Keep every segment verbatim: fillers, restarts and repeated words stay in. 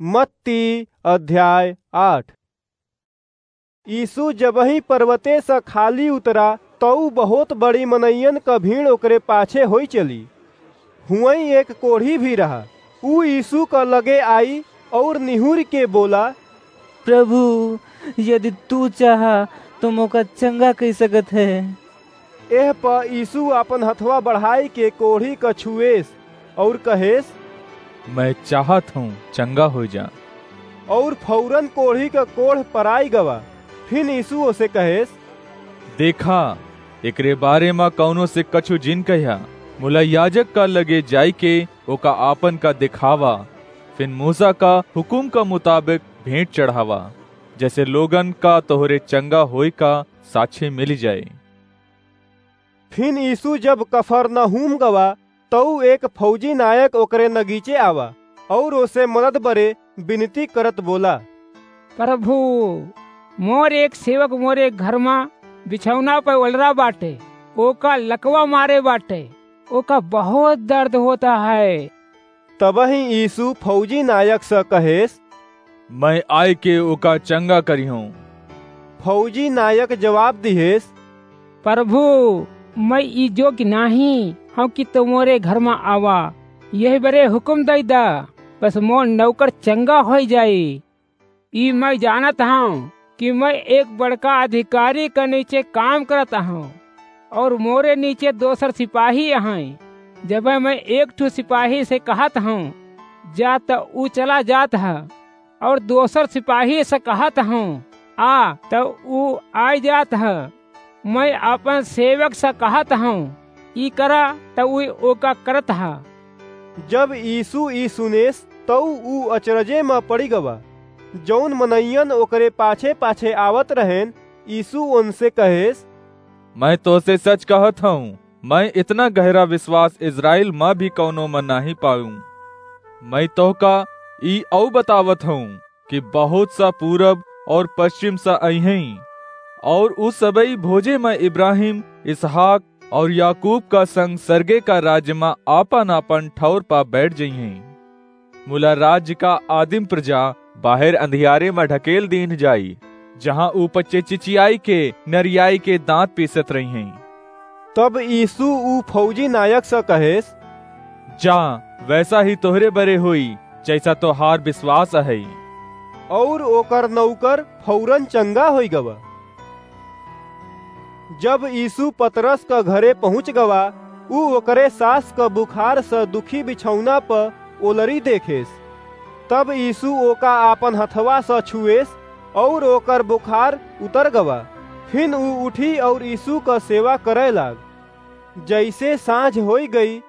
मत्ती अध्याय आठ। यीशु जबहीं पर्वते स खाली उतरा, तऊ बहुत बड़ी मनइयन क भीड़ ओकरे पाछे होई चली। हुवईं एक कोढ़ी भी रहा। ऊ यीशु क लगे आई अउर निहुरि के बोला, "प्रभु, यदि तू चाहा, तो मोका चंगा कइ सकत है।" एह प यीशु आपन हथवा बढ़ाई के कोढ़ी क छुएस अउर कहेस, "मैं चाहत हूँ, चंगा होइ जा।" अउर फौरन कोढ़ी क कोढ़ पराई गवा। फिन यीशु ओसे कहेस, "देखा, एकरे बारे म कउनो से कछु जिन कह्या, मुला याजक का लगे जाइके ओका आपन का देखावा, फिन मूसा का हुकुम का मुताबिक भेंट चढ़ावा, जैसे लोगन का तोहरे चंगा होए का साक्षी मिलि जाए।" फिन यीशु जब कफरनहूम गवा, तऊ एक फौजी नायक ओकरे नगीचे आवा, अउर ओसे मदद बरे बिनती करत बोला, "प्रभु, मोर एक सेवक मोरे घर मा बिछौना पे ओलरा बाटे, ओका लकवा मारे बाटे, ओका बहुत दर्द होता है।" तबहीं यीशु फौजी नायक स कहेस, "मैं आइके ओका चंगा करिहूँ।" फौजी नायक जवाब दिहेस, "प्रभु, मैं ई जोग्य नाहीं हूँ कि तू मोरे घर मा आवा, यही बरे हुकुम दइ दा, बस मोर नौकर चंगा होइ जाई। ई मैं जानत हूँ कि मैं एक बड़का अधिकारी क नीचे काम करत हूँ, अउर मोरे नीचे दोसर सिपाही हैं। जब मैं एक ठो सिपाही से कहत हूँ, 'जा,' त ऊ चला जात है, अउर दोसर सिपाही से कहत हूँ, 'आ,' त ऊ आइ जात है। मैं आपन सेवक से कहत हूँ, 'ई करा,' त ऊ ओका करत है।" जब यीशु ई सुनेस, तऊ ऊ अचरजे म पड़ि गवा। जौन मनइयन ओकरे पाछे-पाछे आवत रहेन, यीशु ओनसे कहेस, "मैं तोसे सच कहत हूँ, मैं इतना गहरा विश्वास इस्राएल म भी कउनो म नाहीं पाऊँ। मैं तोहका ई अउ बतावत हूँ कि बहुत सा पूरब अउर पश्चिम सा अइहैं, अउर उ सबई भोजे म इब्राहिम, इसहाक अउर याकूब का संग सरगे का राज्य म आपन-आपन ठौर प बैठ जइहैं। मुला राज्य का आदिम प्रजा बाहेर अंधियारे म ढकेल दीन्ह जाई, जहाँ ऊ पच्चे चिचियाई के, नरियाई के दाँत पीसत रहिहैं।" तब यीशु ऊ फौजी नायक स कहेस, "जा, वैसा ही तोहरे बरे होई, जैसा तोहार विश्वास अहै।" अउर ओकर नौकर फौरन चंगा होइ गवा। जब यीशु पतरस क घरे पहुँच गवा, ऊ ओकरे सास क बुखार स दुखी बिछौना प ओलरी देखेस। तब यीशु ओका आपन हथवा स छुएस, अउर ओकर बुखार उतर गवा। फिन ऊ उठी अउर यीशु क सेवा करै लाग। जइसे साँझ होइ गई,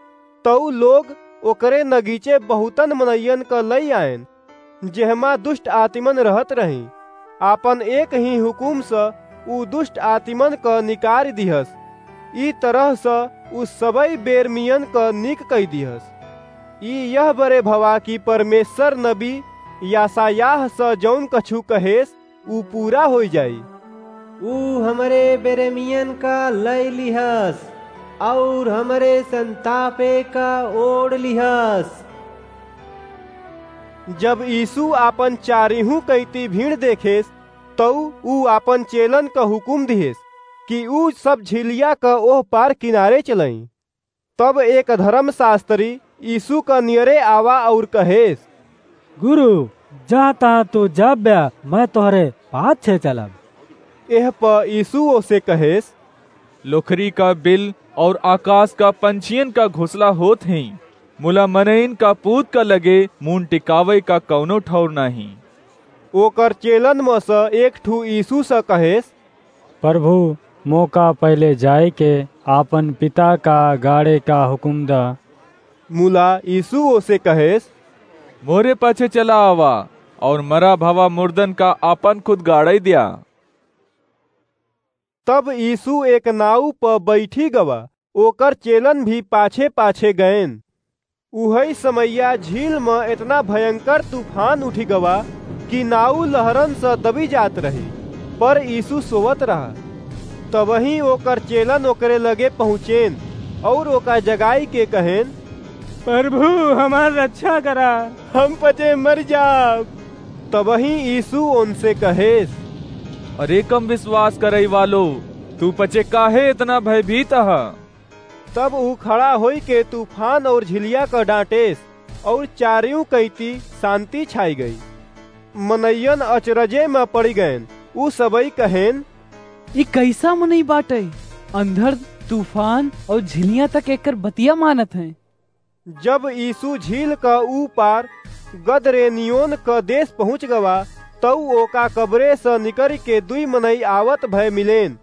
तऊ लोग ओकरे नगीचे बहुतन मनइयन क लइ आएन, जेहमा दुष्ट आतिमन रहत रहीं। आपन एक ही हुकुम स ऊ दुष्ट आतिमन क निकारि दिहस। ई तरह स ऊ सबई बेरमियन क नीक कइ दिहस। ई यह बरे भवा कि परमेश्वर नबी यशायाह स जौन कछु कहेस, ऊ पूरा होइ जाई। "ऊ हमरे बेरमियन का लइ लिहस, अउर हमरे संतापे का ओढ़ लिहस।" जब यीशु आपन चारिहूँ कैती भीड़ देखेस, तऊ ऊ आपन चेलन क हुकुम दिहेस कि ऊ सब झीलिया क ओह पार किनारे चलईं। तब एक धर्मशास्त्री यीशु क नियरे आवा अउर कहेस, "गुरु, जहाँ तहाँ तू जाब्या, मैं तोहरे पाछे चलब।" एह प यीशु ओसे कहेस, "लोखरी का बिल अउर आकाश का पंछियन का घोंसला होत हैं, मुला मनइन का पूत का लगे मुन टिकावै का कउनो ठौर नाहीं।" ओकर चेलन म स एक ठू यीशु स कहेस, "प्रभु, मोका पहिले जाइके आपन पिता का गाड़े का हुकुम द।" मुला यीशु ओसे कहेस, "मोरे पाछे चला आवा अउर मरा भवा मुर्दन का आपन खुद गाड़ै द्या।" तब यीशु एक नाऊ प बैठी गवा, ओकर चेलन भी पाछे-पाछे गएन। उहई समैया झील म एतना भयंकर तूफान उठि गवा कि नाऊ लहरन स दबी जात रही, पर यीशु सोवत रहा। तबहीं ओकर चेलन ओकरे लगे पहुँचेन अउर ओका जगाई के कहेन, "प्रभु, हमार रक्षा करा, हम पचे मर जाब।" तबही यीशु उनसे कहेस, "अरे कम विश्वास करइ वालो, तू पचे काहे इतना भयभीत ह?" तब ऊ खड़ा होइके तूफान और झिलिया क डांटेस, और चारियों कइती शांति छाई गई। मनइयन अचरजे म पड़ि गएन। ऊ सबई कहेन, "ई कइसा मनई बाटइ? अंधड़, तूफान और झिलिया तक एकर बतिया मानत हैं।" जब यीशु झील क ऊ पार गदरेनियोन क देश पहुँच गवा, तउ ओका कब्रे स निकरि के दुई मनई आवत भय मिलेन,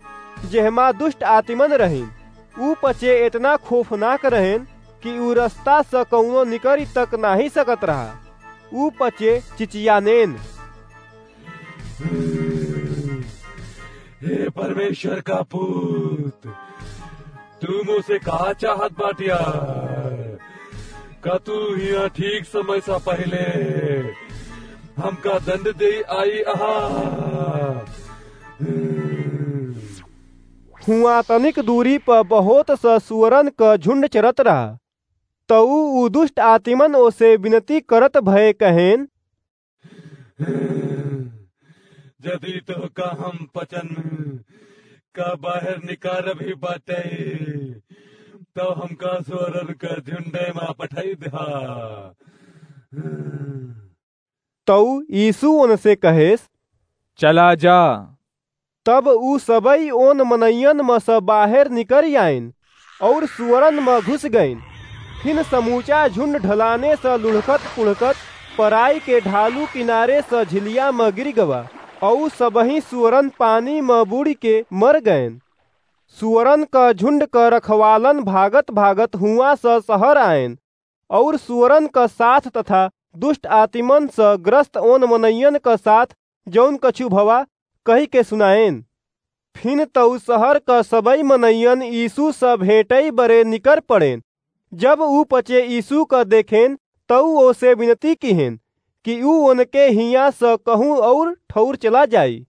जेहमा दुष्ट आतिमन रहिन। ऊ पचे एतना खौफनाक रहेन कि ऊ रस्ता स कउनो निकरि तक नाहीं सकत रहा। ऊ पचे चिचियानेन, "हे परमेश्वर का पूत, तू मुझसे का चाहत बाटिया? का तू हियां ठीक समय सा पहिले हमका दंड दे आई अहा?" हुआं तनिक दूरी प बहुत स सुअरन क झुंड चरत रहा। तउ ऊ दुष्ट आतिमन ओसे विनती करत भय कहेन, "जदि तोहका हम पचन का बाहर निकारब ही बाटे, तउ हमका सुअरन क झुंडे मा पठाई दिहा।" तउ यीशु ओनसे कहेस, "चला जा।" तब ऊ सबई ओन मनइयन म स बाहेर निकरि आइन, और सुअरन म घुस गइन। फिन समूचा झुंड ढलाने स लुढ़कत पुढ़कत पराई के ढालू किनारे स झिलिया म गिरि गवा, और सबही सुअरन पानी म बूड़ि के मर गएन। सुअरन क झुंड क रखवालन भागत भागत हुआं स सहर आएन, और सुअरन क साथ तथा दुष्ट आतिमन स ग्रस्त ओन मनइयन क साथ जउन कछु भवा, कहिके सुनाएन। फिन तउ सहर क सबई मनइयन यीशु स भेंटई बरे निकर पड़ेन। जब ऊ पचे यीशु क देखेन, तउ ओसे विनती किहेन कि ऊ ओनके हियां स कहूं और ठउर चला जाई।